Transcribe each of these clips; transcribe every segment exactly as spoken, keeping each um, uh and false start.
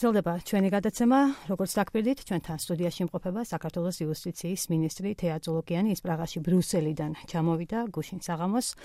გრძელდება ჩვენი გადაცემა, როგორც დაგპირდით, ჩვენთან სტუდიაში იმყოფება საქართველოს იუსტიციის მინისტრი თეა წულუკიანი, ის პრაღაში ბრიუსელიდან ჩამოვიდა გუშინ საღამოს.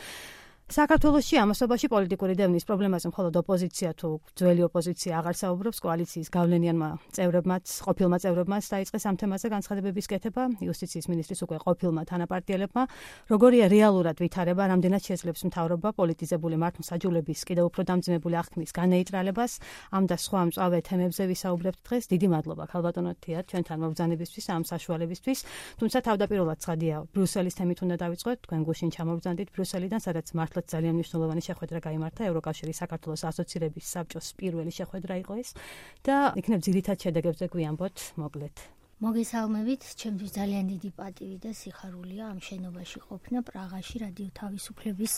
საქართველოში ამასობაში პოლიტიკური დევნის პრობლემაზე მხოლოდ ოპოზიცია თუ ძველი ოპოზიცია აღარ საუბრობს, კოალიციის გავლენიანმა წევრებმაც, ყოფილმა წევრებმაც დაიწყეს ამ თემაზე განცხადებების კეთება, იუსტიციის მინისტრის უკვე ყოფილმა თანაპარტიელებმა, როგორია რეალურად ვითარება, რამდენად შეძლებს მთავრობა პოლიტიზებული მართლმსაჯულების კიდევ უფრო დამძიმებული აღქმის განეიტრალებას, ამ და სხვა მწვავე თემებზე ვისაუბრებთ დღეს. დიდი მადლობა ქალბატონო თეა ჩვენთან მობრძანებისთვის, ამ საშუალებისთვის. თუმცა თავდაპირველად ცხადია, ბრიუსელის თემით უნდა დავიწყოთ, თქვენ გუშინ ჩამოვბრძანდით ბრიუსელიდან, სადაც ძალიან მნიშვნელოვანი შეხვედრა გაიმართა ევროკავშირის საქართველოს ასოცირების საბჭოს პირველი შეხვედრა იყო ეს და იქნებ ძირითად შედეგებზე გვიამბოთ მოკლედ. მოგესალმებით, ჩემთვის ძალიან დიდი პატივი და სიხარულია ამ შენობაში ყოფნა პრაღაში რადიო თავისუფლების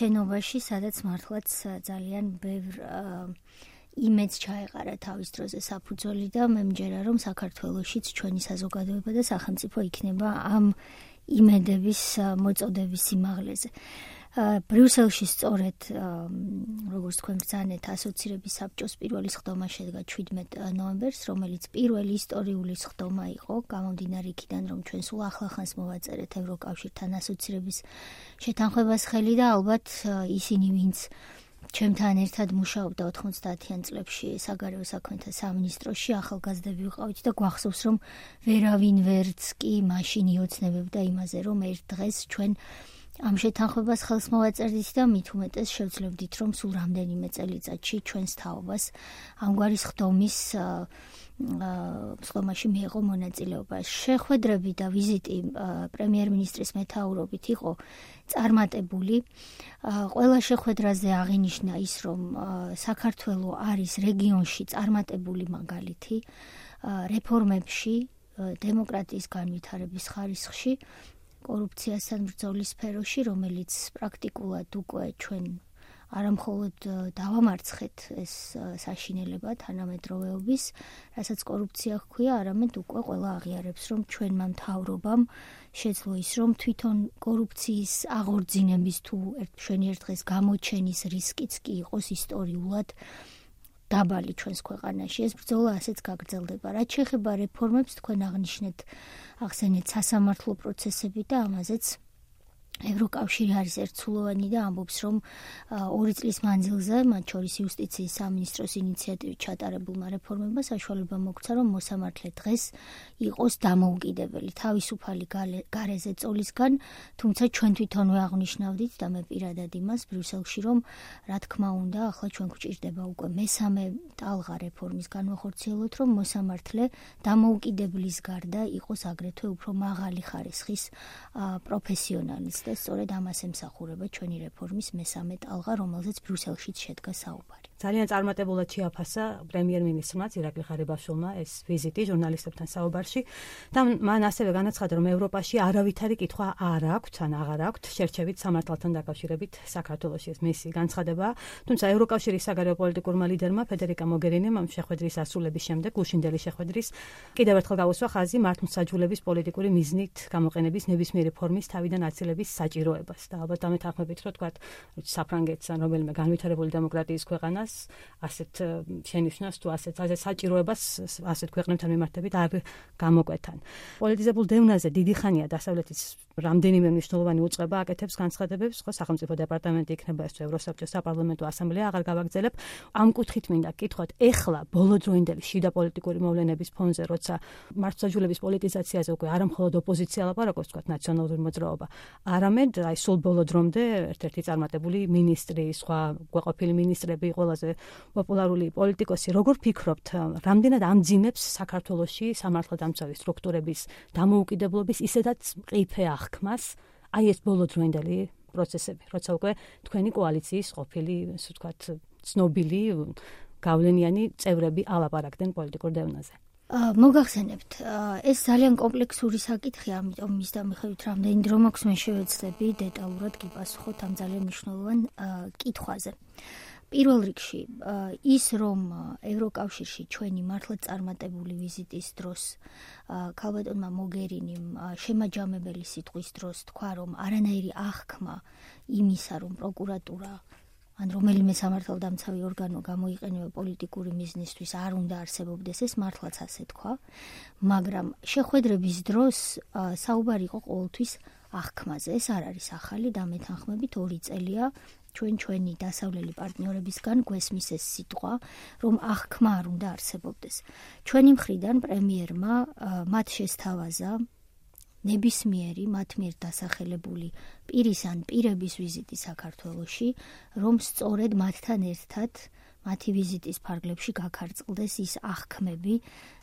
შენობაში, სადაც მართლაც ძალიან ბევრ იმედს ჩაეყარა თავის დროზე საფუძველი და მე მჯერა რომ საქართველოშიც ჩვენი საზოგადოება და სახელმწიფო იქნება ამ იმედების მოწოდების სიმაღლეზე. ბრიუსელში სწორედ როგორც თქვენ ბრძანეთ ასოცირების საბჭოს პირველი სხდომა შედგა შვიდმეტ ნოემბერს, რომელიც პირველი ისტორიული სხდომა იყო, გამომდინარე იქიდან რომ ჩვენ სულ ახლახანს მოვაწერეთ ევროკავშირთან ასოცირების შეთანხმებას ხელი და ალბათ ისინი ვინც ჩემთან ერთად მუშაობდა ოთხმოცდაათიან წლებში საგარეო საქმეთა სამინისტროში, ახალგაზრდები ვიყავით და გვახსოვს რომ ვერავინ ვერც კი მაშინ იოცნებებდა იმაზე რომ ერთ დღეს ჩვენ ამ შეთანხმებას ხელს მოვაწერდით და მით უმეტეს შევძლებდით რომ სულ რამდენიმე წელიწადში ჩვენს თაობას ამგვარი სხდომის სხდომაში მიეღო მონაწილეობა. შეხვედრები და ვიზიტი პრემიერ-მინისტრის მეთაურობით იყო წარმატებული. ყველა შეხვედრაზე აღინიშნა ის, რომ საქართველო არის რეგიონში წარმატებული მაგალითი რეფორმებში, დემოკრატიის განვითარების ხარისხში, კორუფციასთან ბრძოლის სფეროში, რომელიც პრაქტიკულად უკვე ჩვენ არამხოლოდ დავამარცხეთ ეს საშინელება თანამედროვეობის, რასაც კორუფცია ჰქვია, არამედ უკვე ყველა აღიარებს, რომ ჩვენმა მთავრობამ შეძლო ის, რომ თვითონ კორუფციის აღორძინების თუ ჩვენი ერთ დღეს გამოჩენის რისკიც კი იყოს ისტორიულად დაბალი ჩვენს ქვეყანაში. ეს ბრძოლა ასეც გაგრძელდება. რაც შეეხება რეფორმებს, თქვენ აღნიშნეთ, ახსენეთ სასამართლო პროცესები და ამაზეც ევროკავშირი არის ერთსულოვანი და ამბობს, რომ ორი წლის მანძილზე, მათ შორის იუსტიციის სამინისტროს ინიციატივით ჩატარებულმა რეფორმებმა საშუალება მოგცა, რომ მოსამართლე დღეს იყოს დამოუკიდებელი, თავისუფალი გარეზე წოლისგან, თუმცა ჩვენ თვითონვე აღნიშნავდით და მე პირადად იმას ბრიუსელში, რომ რა თქმა უნდა, ახლა ჩვენ გვჭირდება უკვე მესამე ტალღა რეფორმის განვახორციელოთ, რომ მოსამართლე დამოუკიდებლის გარდა იყოს აგრეთვე უფრო მაღალი ხარისხის პროფესიონალის და სწორედ ამას ემსახურება ჩვენი რეფორმის მესამე ტალღა, რომელზეც ბრიუსელშიც შედგა საუბარი. ძალიან წარმატებულად შეაფასა პრემიერ-მინისტრმა ირაკლი ღარიბაშვილმა ეს ვიზიტი ჟურნალისტებთან საუბარში და მან ასევე განაცხადა, რომ ევროპაში არავითარი კითხვა არ აქვს, ან აღარ აქვს შერჩევით სამართალთან დაკავშირებით საქართველოში. ეს მისი განცხადება, თუმცა ევროკავშირის საგარეო პოლიტიკურმა ლიდერმა ფედერიკა მოგერინიმ ამ შეხვედრის ასრულების შემდეგ, გუშინდელი შეხვედრის კიდევ ერთხელ გაუსვა ხაზი მართლმსაჯულების პოლიტიკური მიზნით გამოყენების ნებისმიერი ფორმის თავიდან აცილების საჭიროებას და ალბათ დამეთანხმებით რომ თქვა საფრანგეთს ან რომელიმე განვითარებული დემოკრატიის ქვეყანას ასეთ შენიშვნას თუ ასეთ ასეთ საჭიროებას ასეთ ქვეყნებთან მიმართებით არ გამოკვეთან. პოლიტიზებულ დევნაზე დიდი ხანია დასავლეთის რამდენიმე მნიშვნელოვანი უწყება აკეთებს განცხადებებს, ხო სახელმწიფო დეპარტამენტი იქნება ეს ევროსაბჭოს საპარლამენტო ასამბლეა, აღარ გავაგრძელებ. ამ კუთხით მინდა გკითხოთ, ეხლა ბოლოდროინდელი შიდა პოლიტიკური მოვლენების ფონზე, როცა მართლმსაჯულების პოლიტიზაციაზე უკვე არა მხოლოდ ოპოზიცია ლაპარაკობს, თქვა ნაციონალური მოძრაობა, არამედ აი სულ ბოლო დრომდე ერთ-ერთი წარმატებული მინისტრი, სხვა გვეყოფილი მინისტრები, ყველაზე პოპულარული პოლიტიკოსი, როგორ ფიქრობთ, რამდენად ამძიმებს საქართველოში სამართალდამცავი სტრუქტურების დამოუკიდებლობის ისედაც მყიფე აღქმას აი ეს ბოლოდროინდელი პროცესები, როცა უკვე თქვენი კოალიციის ყოფილი, ასე ვთქვათ, ცნობილი გავლენიანი წევრები ალაპარაკდნენ პოლიტიკურ დევნაზე. მოგახსენებთ, ეს ძალიან კომპლექსური საკითხია, ამიტომ მის დამიხევით რამდენი დრო მაქვს მე შევეცდები დეტალურად გიპასუხოთ ამ ძალიან მნიშვნელოვან კითხვაზე. პირველ რიგში, ის რომ ევროკავშირში ჩვენი მართლაც წარმატებული ვიზიტის დროს ქალბატონმა მოგერინიმ შემაჯამებელი სიტყვის დროს თქვა, რომ არანაირი აღქმა იმისა, რომ პროკურატურა ან რომელიმე სამართალდამცავი ორგანო გამოიყენება პოლიტიკური მიზნისთვის, არ უნდა არსებობდეს, ეს მართლაც ასე თქვა, მაგრამ შეხვედრების დროს საუბარი იყო ყოველთვის აღქმაზე. ეს არ არის ახალი, დამეთანხმებით ორი წელია ჩვენ ჩვენი დასავლელი პარტნიორებისგან გვესმის ეს სიტყვა, რომ აღქმა არ უნდა არსებობდეს. ჩვენი მხრიდან პრემიერმა მათ შესთავაზა ნებისმიერი მათ მიერ დასახელებული პირის ან პირების ვიზიტი საქართველოში, რომ სწორედ მათთან ერთად მათი ვიზიტის ფარგლებში გაქარწყლდეს ის აღქმები,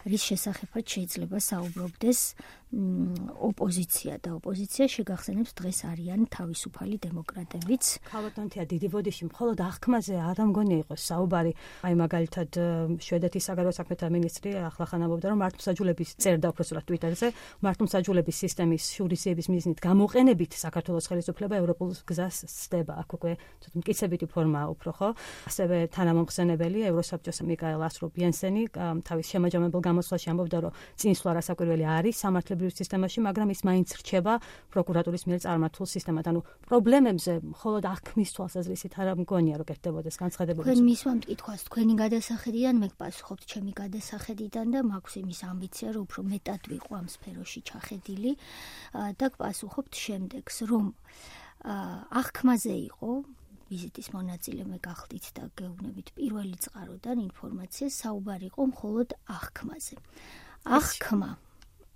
რის შესახებაც შეიძლება საუბრობდეს ოპოზიცია და ოპოზიცია შეგახსენებს დღეს არიან თავისუფალი დემოკრატებიც. ქალბატონთია დიდი ბოდიში მხოლოდ აღქმაზე არ მგონია იყოს საუბარი. აი მაგალითად შვედეთის საგარეო საქმეთა მინისტრი ახლახან ამბობდა, რომ მართლმსაჯულების წერდა უბრალოდ ტვიტერზე, მართლმსაჯულების სისტემის შურისების მიზნით გამოყენებით საქართველოს ხელისუფლება ევროპულ გზას სცდება. აქ უკვე ცოტა მტკიცებითი ფორმაა უფრო, ხო? ასევე თანამომხსენებელი ევროსაბჭოს მიკაელ ასრუპ იენსენი თავის შემაჯამებელ გამოსვლაში ამბობდა, რომ წინსვლა რასაკვირველი არის სამართლებრივ სისტემაში, მაგრამ ის მაინც რჩება პროკურატურის მიერ წარმართულ სისტემად. ანუ პრობლემებზე მხოლოდ აღქმის თვალსაზრისით არ მგონია, რომ კეთდებოდეს განცხადებები. თქვენ მისვამ მკითხვას თქვენი გადასახედიდან მე გპასუხობთ ჩემი გადასახედიდან და მაქვს იმის ამბიცია, რომ უფრო მეტად ვიყო ამ სფეროში ჩახედილი და გპასუხობთ შემდეგს, რომ აღქმაზე იყო ვიზიტის მონაწილე მე გახდით და გეუბნებით პირველი წყაროდან ინფორმაციას საუბარი იყო მხოლოდ აღქმაზე. აღქმა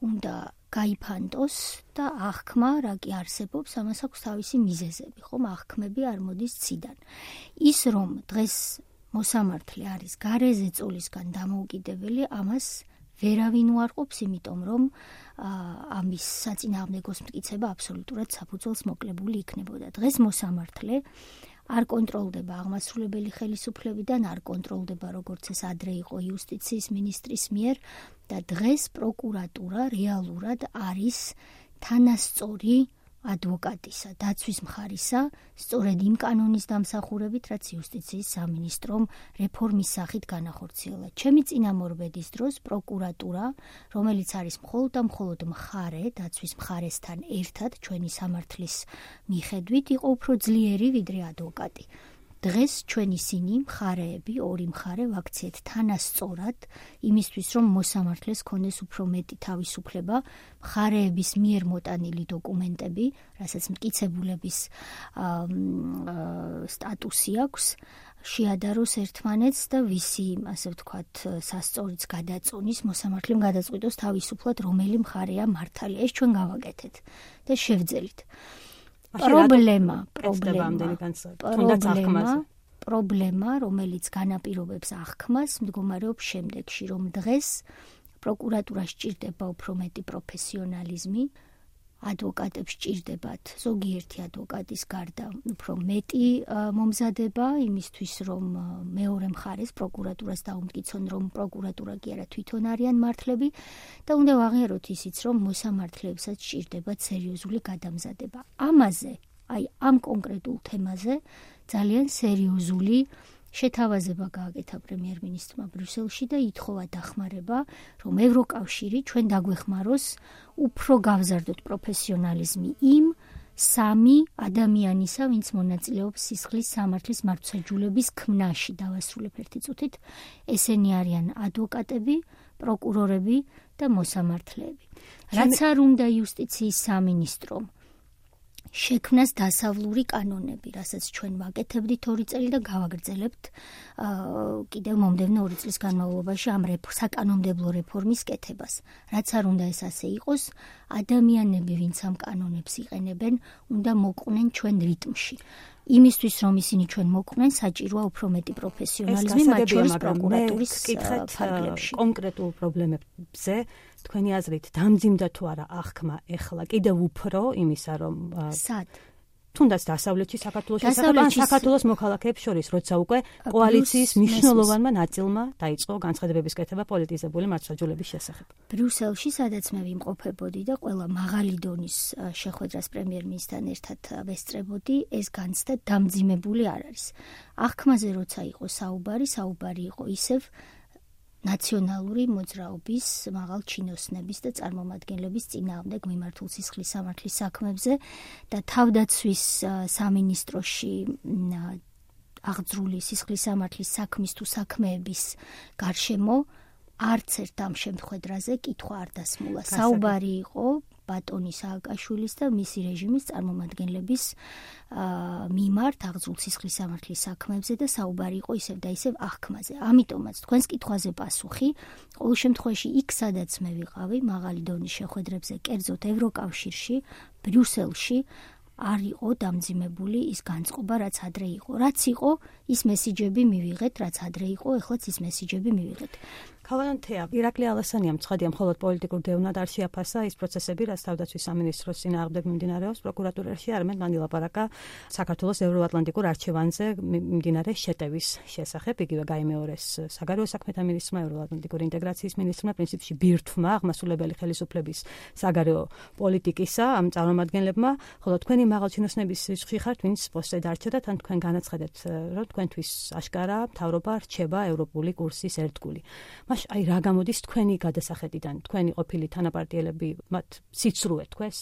უნდა გაიფანტოს და აღქმა რა კი არსებობს, ამას აქვს თავისი მიზეზები, ხომ? აღქმები არ მოდის ციდან. ის რომ დღეს მოსამართლე არის გარეზე წოლისგან დამოუკიდებელი, ამას ვერავინ უარყოფს, იმიტომ რომ ამის საწინააღმდეგოს მტკიცება აბსოლუტურად საფუძველს მოკლებული იქნებოდა. დღეს მოსამართლე არ კონტროლდება აღმასრულებელი ხელისუფლებიდან, არ კონტროლდება როგორც ეს ადრე იყო იუსტიციის მინისტრის მიერ და დღეს პროკურატურა რეალურად არის თანასწორი ადვოკატისა, დაცვის მხარისა, სწორედ იმ კანონის დამსახურებით, რაც იუსტიციის სამინისტრომ რეფორმის სახით განახორციელა. ჩემი წინამორბედის დროს პროკურატურა, რომელიც არის მხოლოდ და მხოლოდ მხარე, დაცვის მხარესთან ერთად ჩვენი სამართლის მიხედვით, იყო უფრო ძლიერი ვიდრე ადვოკატი. დღეს ჩვენ ისინი მხარეები, ორი მხარე ვაქციეთ თანასწორად იმისთვის, რომ მოსამართლეს ქონდეს უფრო მეტი თავისუფლება, მხარეების მიერ მოტანილი დოკუმენტები, რასაც მტკიცებულების სტატუსი აქვს, შეადაროს ერთმანეთს და ვისი, ასე ვთქვათ, სასწორიც გადაწონის, მოსამართლემ გადაწყვიტოს თავისუფლად, რომელი მხარეა მართალი. ეს ჩვენ გავაკეთეთ და შევძელით. პრობლემა, პრობლემა, პრობლემა, რომელიც განაპირობებს აღქმას, მდგომარეობს შემდეგში, რომ დღეს პროკურატურას სჭირდება უფრო მეტი პროფესიონალიზმი, ადვოკატებს სჭირდებათ ზოგიერთი ადვოკატის გარდა უფრო მეტი მომზადება იმისთვის, რომ მეორე მხარეს პროკურატურას დაუმტკიცონ, რომ პროკურატურა კი არა თვითონ არიან მართლები და უნდა ვაღიაროთ ისიც, რომ მოსამართლეებსაც სჭირდებათ სერიოზული გადამზადება. ამაზე, აი ამ კონკრეტულ თემაზე ძალიან სერიოზული შეთავაზება გააკეთა პრემიერ-მინისტრმა ბრიუსელში და ითხოვა დახმარება, რომ ევროკავშირი ჩვენ დაგვეხმაროს უფრო გავზარდოთ პროფესიონალიზმი იმ სამი ადამიანისა, ვინც მონაწილეობს სისხლის სამართლის მართლმსაჯულების ქმნაში. დავასრულებ ერთი წუთით. ესენი არიან ადვოკატები, პროკურორები და მოსამართლეები. რაც არ უნდა იუსტიციის სამინისტრომ შექმნას დასავლური კანონები, რასაც ჩვენ ვაკეთებდით ორი წელი და გავაგრძელებთ კიდევ მომდევნო ორი წლის განმავლობაში ამ საკანონმდებლო რეფორმის კეთებას. რაც არ უნდა ეს ასე იყოს, ადამიანები, ვინც ამ კანონებს იყენებენ, უნდა მოყვნენ ჩვენ რიტმში. იმისთვის, რომ ისინი ჩვენ მოყვნენ, საჭიროა უფრო მეტი პროფესიონალიზმი, მათ შორის პროკურატურის ფარგლებში. კონკრეტულ პრობლემებზე თქვენი აზრით დამძიმდა თუ არა აღქმა ეხლა კიდევ უფრო იმისა, რომ სად თუნდაც დასავლეთში საქართველოს შესახებ ან საქართველოს მოქალაქეებს შორის, როცა უკვე კოალიციის მნიშვნელოვანმა ნაწილმა დაიწყო განცხადებების კეთება პოლიტიზებული მართლმსაჯულების შესახებ. ბრიუსელში, სადაც მე ვიმყოფებოდი და ყველა მაღალი დონის შეხვედრას პრემიერ-მინისტრთან ერთად ვესწრებოდი, ეს განცდა დამძიმებული არ არის. აღქმაზე როცა იყო საუბარი, საუბარი იყო ისევ ნაციონალური მოძრაობის მაღალ ჩინოსნების და წარმომადგენლების წინააღმდეგ მიმართულ სისხლის სამართლის საქმებზე და თავდაცვის სამინისტროში აღძრული სისხლის სამართლის საქმის თუ საქმეების გარშემო არც ერთ ამ შემთხვედრაზე კითხვა არ დასმულა. საუბარი იყო ბატონი სააკაშვილის და მისი რეჟიმის წარმომადგენლების მიმართ აღძრულ სისხლის სამართლის საქმეებზე და საუბარი იყო ისევ და ისევ აღქმაზე. ამიტომაც თქვენს კითხვაზე პასუხი ყოველ შემთხვევაში იქ სადაც მე ვიყავი მაღალი დონის შეხვედრებზე, კერძოდ ევროკავშირში, ბრიუსელში არ იყო დამძიმებული ის განწყობა, რაც ადრე იყო. რაც იყო, ის მესიჯები მივიღეთ, რაც ადრე იყო, ეხლაც ის მესიჯები მივიღეთ. ქალანთეა, ირაკლი ალასანიამ ცხადია მხოლოდ პოლიტიკურ დევნად არ შეაფასა ის პროცესები, რაც თავდაცვის სამინისტროს წინააღმდეგ მიმდინარეობს პროკურატურაში, არამედ მან ილაპარაკა საქართველოს ევროატლანტიკურ არჩევანზე მიმდინარე შეტევის შესახებ. იგივე გაიმეორეს საგარეო საქმეთა მინისტრმა, ევროატლანტიკური ინტეგრაციის მინისტრმა, პრინციპში ბირთვმა აღმასრულებელი ხელისუფლების საგარეო პოლიტიკისა ამ წარმომადგენლებმა, ხოლო თქვენი მაღალჩინოსნების რიცხვი ხართ, ვინც პოსტზე დარჩათ, ან თქვენ განაცხადეთ, რომ თქვენთვის აშკარა მთავრობა რჩება ევროპული კურსის ერთგული. მაშ აი რა გამოდის თქვენი გადასახედიდან, თქვენი ყოფილი თანაპარტიელები მათ სიცრუე თქვეს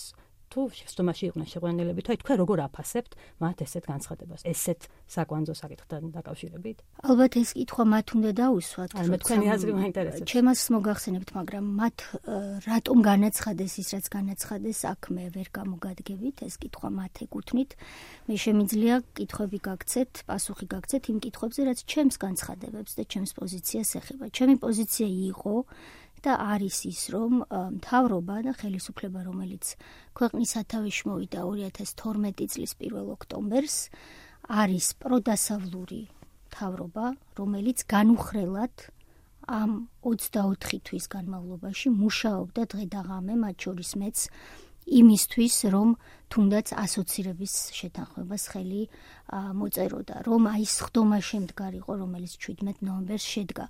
თუ შეცდომაში იყვნენ შეყვანილები, თუ აი თქვენ როგორ აფასებთ მათ ესეთ განცხადებას, ესეთ საკვანძო საკითხთან დაკავშირებით? ალბათ ეს კითხვა მათ უნდა დაუსვათ. ალბათ თქვენი აზრი მაინტერესებს. ჩემს მოგახსენებთ, მაგრამ მათ რატომ განაცხადეს ის, რაც განაცხადეს, აქ მე ვერ გამოგადგებით, ეს კითხვა მათ ეკუთვნით. მე შემიძლია კითხვები გაგცეთ, პასუხი გაგცეთ იმ კითხვებზე, რაც ჩემს განცხადებებს და ჩემს პოზიციას ეხება. ჩემი პოზიცია იყო და არის ის, რომ მთავრობა და ხელისუფლება, რომელიც ქვეყნის სათავეში მოვიდა ორი ათას თორმეტი წლის პირველ ოქტომბერს, არის პროდასავლური მთავრობა, რომელიც განუხრელად ამ ოცდაოთხი თვის განმავლობაში მუშაობდა დღე და ღამე, მათ შორის მეც იმისთვის, რომ თუნდაც ასოცირების შეთანხმებას ხელი მოწეროდა, რომ აი ეს ხდომა შემდგარიყო, რომელიც შვიდმეტ ნოემბერს შედგა,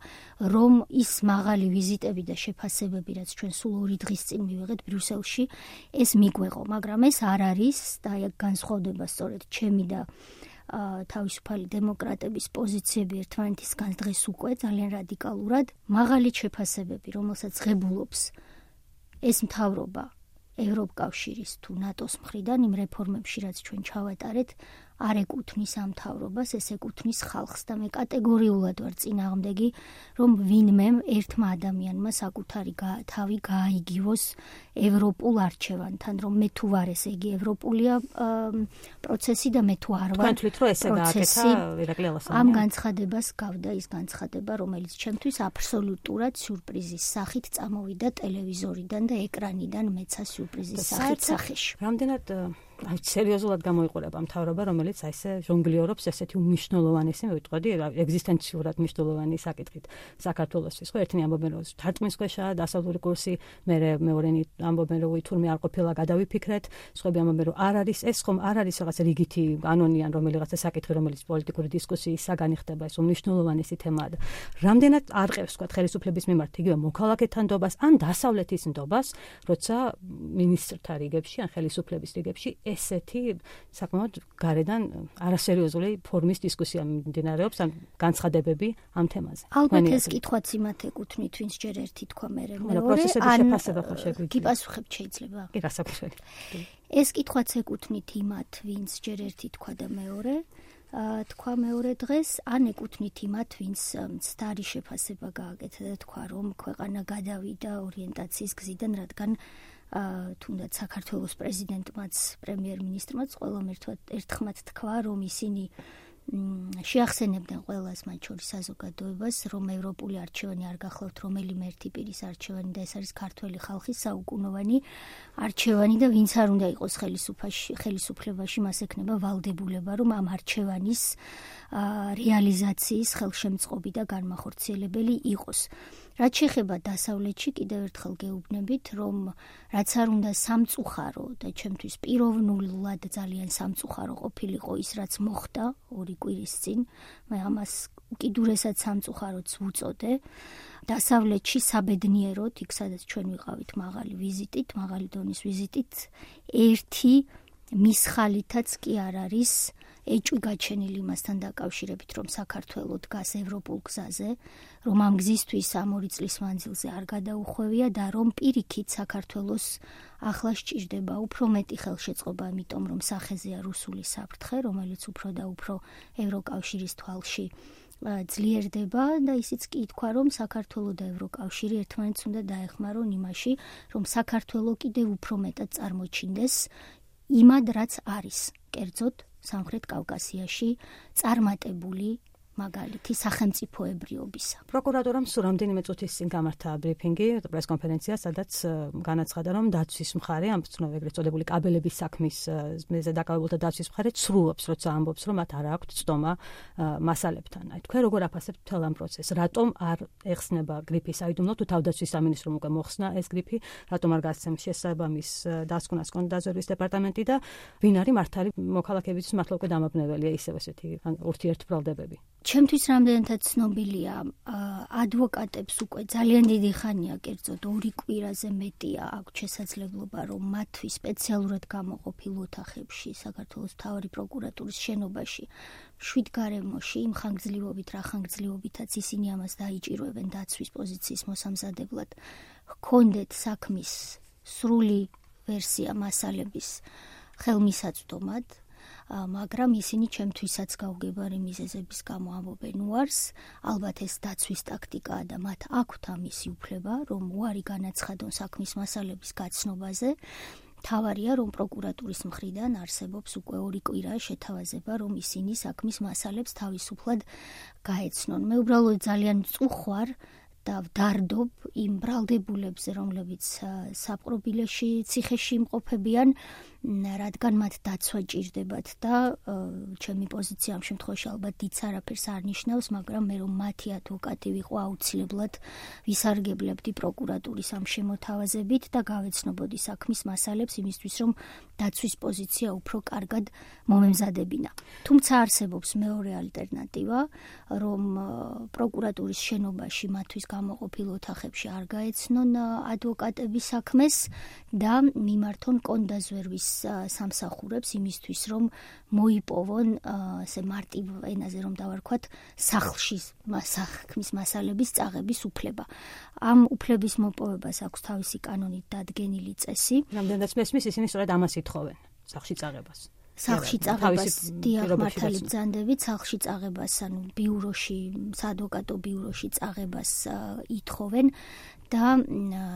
რომ ის მაღალი ვიზიტები და შეფასებები, რაც ჩვენ სულ ორი დღის წინ მივიღეთ ბრიუსელში, ეს მიგვეღო, მაგრამ ეს არ არის და აი განსხვავდება სწორედ ჩემი და თავისუფალი დემოკრატების პოზიციები ერთმანეთისგან დღეს უკვე ძალიან რადიკალურად მაღალი შეფასებები, რომელსაც ღებულობს ეს მთავრობა ევროკავშირის თუ ნატოს მხრიდან იმ რეფორმებში, რაც ჩვენ ჩავატარეთ, არ ეკუთვნის ამ მთავრობას, ეს ეკუთვნის ხალხს და მე კატეგორიულად ვარ წინააღმდეგი, რომ ვინმე ერთმა ადამიანმა საკუთარი თავი გააიგივოს ევროპულ არჩევანთან, რომ მე თუ ვარ ესე იგი ევროპულია პროცესი და მე თუ არ ვარ. თქვენ თვლით, რომ ესე გააკეთა ირაკლი ალასანია? ამ განცხადებას გავდა ის განცხადება, რომელიც ჩემთვის აბსოლუტურად სიურპრიზის სახით წამოვიდა ტელევიზორიდან და ეკრანიდან მეცა სიურპრიზის სახით სახეში. რამდენად აი სერიოზულად გამოიყურება მთავრობა, რომელიც აი ესე ჟონგლიორობს ესეთი უმნიშვნელოვანესი, მე ვიტყოდი, ეგზისტენციურად მნიშვნელოვანი საკითხით საქართველოსთვის. ხო, ერთნი ამბობენ, რომ თარწმუნსქვეშაა დასავლური კურსი, მე მეორენი ამბობენ, რომ თურმე არ ყოფილა გადავიფიქრეთ, სხვები ამბობენ, რომ არ არის, ეს ხომ არ არის რაღაც რიგითი კანონიან, რომელიღაცა საკითხი, რომელიც პოლიტიკური დისკუსიის საგანი ხდება, ეს უმნიშვნელოვანესი თემაა. რამდენად არყევს, თქვა, ხელისუფლების მიმართ იგივე მოქალაქეთა ნდობას, ან დასავლეთის ნდობას, როცა მინისტრთა რიგებში, ან ხელისუფლების რიგებში ესეთი საკმაოდ გარედან არასერიოზული ფორმის დისკუსია მიმდინარეობს, ან განცხადებები ამ თემაზე. ალბათ ეს კითხვაც იმათ ეკუთვნით, ვინც ჯერ ერთი თქვა მერე მეორე, ან გიპასუხებთ შეიძლება? კი, გასაკუთრებით. ეს კითხვაც ეკუთვნით იმათ, ვინც ჯერ ერთი თქვა და მეორე, თქვა მეორე დღეს, ან ეკუთვნით იმათ, ვინც მცდარი შეფასება გააკეთა და თქვა, რომ ქვეყანა გადავიდა ორიენტაციის გზიდან, რადგან თუნდაც საქართველოს პრეზიდენტმაც, პრემიერ-მინისტრმაც ყველამ ერთხმად თქვა, რომ ისინი შეახსენებდნენ ყველას, მათ შორის საზოგადოებას, რომ ევროპული არჩევანი არ გახლავთ რომელიმე ერთი პირის არჩევანი და ეს არის ქართველი ხალხის საუკუნოვანი არჩევანი და ვინც არ უნდა იყოს ხელისუფლებაში, მას ექნება ვალდებულება, რომ ამ არჩევანის რეალიზაციის ხელშემწყობი და განმახორციელებელი იყოს. რაც შეეხება დასავლეთში, კიდევ ერთხელ გეუბნებით, რომ რაც არ უნდა სამწუხარო და ჩემთვის პიროვნულად ძალიან სამწუხარო ყოფილიყო ის, რაც მოხდა ორი კვირის წინ, მე ამას უკიდურესად სამწუხაროც ვუწოდე. დასავლეთში საბედნიეროდ, იქ სადაც ჩვენ ვიყავით მაღალი ვიზიტით, მაღალი დონის ვიზიტით, ერთი მის ხალითაც კი არ არის ეჭვი გაჩენილი იმასთან დაკავშირებით, რომ საქართველო დგას ევროპულ გზაზე, რომ ამ გზისთვის ამ ორი წლის მანძილზე არ გადაუხვევია და რომ პირიქით საქართველოს ახლა სჭირდება უფრო მეტი ხელშეწყობა, იმიტომ რომ სახეზეა რუსული საფრთხე, რომელიც უფრო და უფრო ევროკავშირის თვალში ძლიერდება და ისიც კი ითქვა, რომ საქართველო და ევროკავშირი ერთმანეთს უნდა დაეხმარონ იმაში, რომ საქართველო კიდევ უფრო მეტად წარმოჩინდეს იმად, რაც არის, კერძოდ სამხრეთ კავკასიაში წარმატებული მაგალითი სახელმწიფოებრიობისა. პროკურატურამ სულ რამდენიმე წუთის წინ გამართა ბრიფინგი, პრესკონფერენცია, სადაც განაცხადა, რომ დაცვის მხარე, ამ ეგრეთ წოდებული კაბელების საქმის მეზე დაკავებულთა დაცვის მხარე ცრუობს, როცა ამბობს, რომ მათ არ აქვთ ცდომა მასალებთან. აი, თქვენ როგორ აფასებთ მთელ ამ პროცესს? რატომ არ ეხსნება გრიფი საიდუმლო, თუ თავდაცვის სამინისტრომ უკვე მოხსნა ეს გრიფი, რატომ არ გასცემს შესაბამის დასკვნას კონტრდაზვერვის დეპარტამენტი და ვინ არის მართალი მოქალაქეებისთვის მართლა უკვე დამაბნეველია ისევ ესეთი ურთიერთბრალდებები? ჩემთვის რამდენადაც ცნობილია, ადვოკატებს უკვე ძალიან დიდი ხანია, კერძოდ ორი კვირაზე მეტია აქვს შესაძლებლობა, რომ მათთვის სპეციალურად გამოყოფილ ოთახებში საქართველოს მთავარი პროკურატურის შენობაში შვიდ გარემოში იმ ხანგრძლივობით, რა ხანგრძლივობითაც ისინი ამას დაიჭირვებენ დაცვის პოზიციის მოსამზადებლად, ჰქონდეთ საქმის სრული ვერსია მასალების ხელმისაწვდომად, მაგრამ ისინი ჩემთვისაც გაუგებარი მიზეზების გამო ამბობენ უარს, ალბათ ეს დაცვის ტაქტიკაა და მათ აქვთ ამისი უფლება, რომ უარი განაცხადონ საქმის მასალების გაცნობაზე. თავარია, რომ პროკურატურის მხრიდან არსებობს უკვე ორი კვირა შეთავაზება, რომ ისინი საქმის მასალებს თავისუფლად გაეცნონ. მე უბრალოდ ძალიან წუხვარ და ვდარდობ იმ ბრალდებულებზე, რომლებიც საპყრობილეში ციხეში იმყოფებიან, რადგან მათ დაცვა ჭირდებათ და ჩემი პოზიცია ამ შემთხვევაში ალბათ დიდ არაფერს არ ნიშნავს, მაგრამ მე რომ მათი ადვოკატი ვიყო, აუცილებლად ვისარგებლებდი პროკურატურის ამ შემოთავაზებით და გავეცნობოდი საქმის მასალებს იმისთვის, რომ დაცვის პოზიცია უფრო კარგად მომემზადებინა. თუმცა არსებობს მეორე ალტერნატივა, რომ პროკურატურის შენობაში მათთვის გამოყოფილ ოთახებში არ გაეცნონ ადვოკატების საქმეს და მიმართონ კონდაზვერვის სამსახურებს იმისთვის, რომ მოიპოვონ ასე მარტივ ენაზე რომ დავარქვათ, სახლში საქმის მასალების წაღების უფლება. ამ უფლების მოპოვებას აქვს თავისი კანონით დადგენილი წესი. რამდენადაც მესმის, ისინი სწორედ ამას ითხოვენ, სახლში წაღებას. სახლში წაღებას დიახ, მართალი ბრძანდებით, სახლში წაღებას, ანუ ბიუროში, საადვოკატო ბიუროში წაღებას ითხოვენ და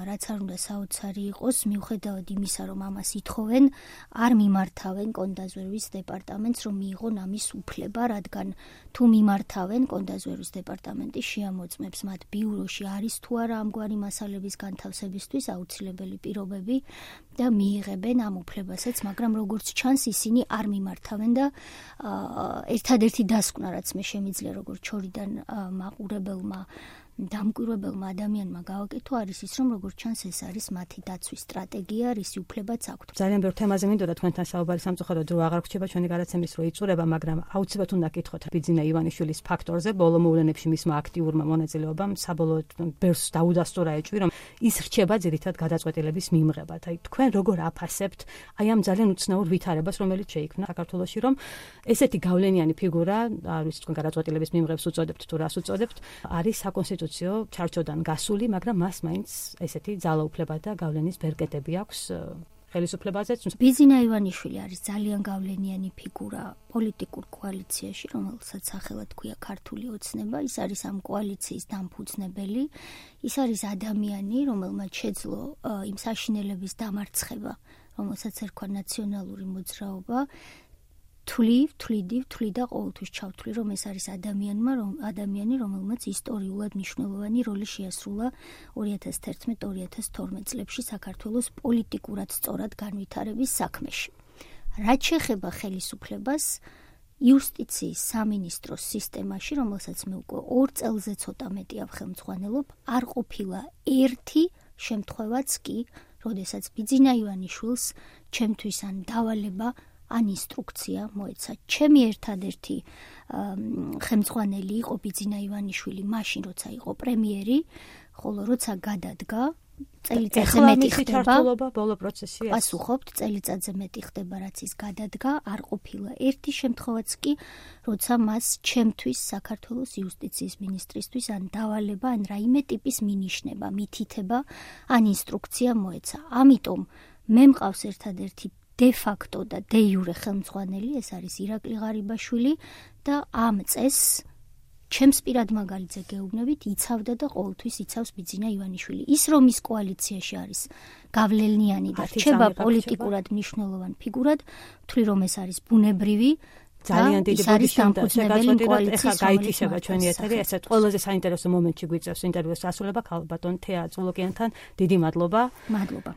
რაც არ უნდა საოცარი იყოს, მიუხედავად იმისა, რომ ამას ითხოვენ, არ მიმართავენ კონდაზვერვის დეპარტამენტს, რომ მიიღონ ამის უფლება, რადგან თუ მიმართავენ, კონდაზვერვის დეპარტამენტი შეამოწმებს მათ ბიუროში არის თუ არა ამგვარი მასალების განთავსებისთვის აუცილებელი პირობები და მიიღებენ ამ უფლებასაც, მაგრამ როგორც ჩანს, ისინი არ მიმართავენ და ერთადერთი დასკვნა, რაც მე შემიძლია როგორც შორიდან მაყურებელმა დამკვირვებელმა ადამიანმა გავაკეთო, არის ის, რომ როგორც ჩანს ეს არის მათი დაცვის სტრატეგია, რისი უფლებაც აქვთ. ძალიან ბევრ თემაზე მინდოდა თქვენთან საუბარი, სამწუხაროდ დრო აღარ გრჩება ჩვენი გადაცემის რო იწურება, მაგრამ აუცილებლად უნდა გითხოთ ბიძინა ივანიშვილის ფაქტორზე, ბოლო მოვლენებში მისმა აქტიურმა მონაწილეობამ საბოლოოდ ბევრს დაუდასტურა ეჭვი, რომ ის რჩება ძირითად გადაწყვეტილების მიმღებად. აი თქვენ როგორ აფასებთ აი ამ ძალიან უცნაურ ვითარებას, რომელიც შეიქმნა საქართველოში, რომ ესეთი გავლენიანი ფიგურა, არ ვიცი თქვენ გადაწყვეტილების მიმღებს უწოდებთ თუ რას უწოდებთ, არის საკონსტიტუციო ჩარჩოდან გასული, მაგრამ მას მაინც ესეთი ძალაუფლება და გავლენის ბერკეტები აქვს ხელისუფლებაზე. ბიძინა ივანიშვილი არის ძალიან გავლენიანი ფიგურა პოლიტიკურ კოალიციაში, რომელსაც სახელად ქვია ქართული ოცნება. ის არის ამ კოალიციის დამფუძნებელი. ის არის ადამიანი, რომელმაც შეძლო იმ საშინელების დამარცხება, რომელსაც ერქვა ნაციონალური მოძრაობა. თვლი, თვლიდი, თვლი და ყოველთვის ჩავთვლი, რომ ეს არის ადამიანმა, რომ ადამიანი, რომელმაც ისტორიულად მნიშვნელოვანი როლი შეასრულა ორი ათას თერთმეტ ორი ათას თორმეტ წლებში საქართველოს პოლიტიკურად სწორად განვითარების საქმეში. რაც შეეხება ხელისუფლებას, იუსტიციის სამინისტროს სისტემაში, რომელსაც მე უკვე ორ წელზე ცოტა მეტი ავხელმძღვანელობ, არ ყოფილა ერთი შემთხვევაც კი, როდესაც ბიძინა ივანიშვილს ჩემთვის ან დავალება ან ინსტრუქცია მოეცა. ჩემი ერთადერთი ხელმძღვანელი იყო ბიძინა ივანიშვილი მაშინ, როცა იყო პრემიერი, ხოლო როცა გადადგა წელიწადზე მეტი ხდება. ჩართულობა ბოლო პროცესია. პასუხობთ, წელიწადზე მეტი ხდება, რაც ის გადადგა, არ ყოფილა ერთი შემთხვევაც კი, როცა მას ჩემთვის საქართველოს იუსტიციის მინისტრისთვის ან დავალება, ან რაიმე ტიპის მინიშნება, მითითება, ან ინსტრუქცია მოეცა. ამიტომ მე მყავს ერთადერთი de facto და de jure ხელმძღვანელი, ეს არის ირაკლი ღარიბაშვილი და ამ წესს ჩემს პირად მაგალითზე გეუბნებით, იცავდა და ყოველთვის იცავს ბიძინა ივანიშვილი. ის რომ ის კოალიციაში არის გავლენიანი და რჩება პოლიტიკურად მნიშვნელოვან ფიგურად, ვთვლი რომ ეს არის ბუნებრივი ძალიან დიდი ბოდიშია შეგაწყვეტილ ეხლა გაითიშება ჩვენი ეთერი, ესეც ყველაზე საინტერესო მომენტში გვიწევს ინტერვიუს ასრულება ქალბატონ თეა წულოკიანთან. დიდი მადლობა. მადლობა.